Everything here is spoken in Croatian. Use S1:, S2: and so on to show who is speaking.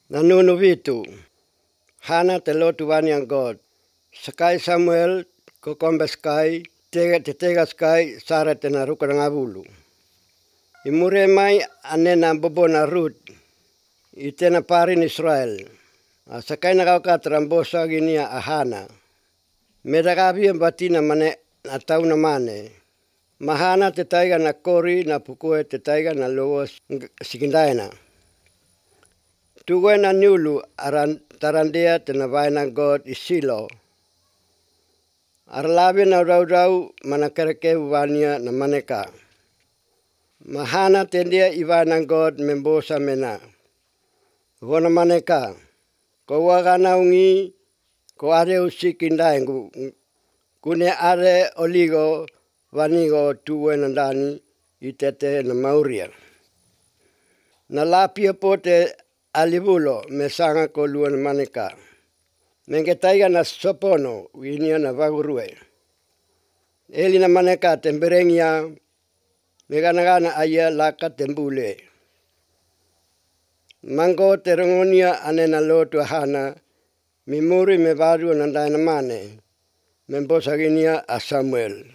S1: Nanunu vitu. Hana te lotu wani ang God. Sakai Samuel kokombe skai tega skai sara te na ruka nga bulu. Imure mai anena bobo na Ruth. Itena parin Israel. Sakai na kau katrambosa ginia ahana. Medagabi ang batina mane atau na mane. Mahana te taiga na kori na pukue te taiga na logos sikindaina. Tuwe na niulu tarandea te na vaina God isilo. Arlabi na rau manakereke wania na maneka. Mahana tendia ivaina God membosa mena. Vona maneka. Ko wagana ungi ko are usikindaingu. Kune are oligo vanigo tuwe na ndani itete na mauria. Na lapia pote alibulo mesanga ko luan maneka. Mengetaiga na sopono winia na vagurue. Eli na maneka temberengia meganagana aya laka tembule. Mango terengonia anena lotu hana mimuri me varu na mane. Membosaginia a Samuel.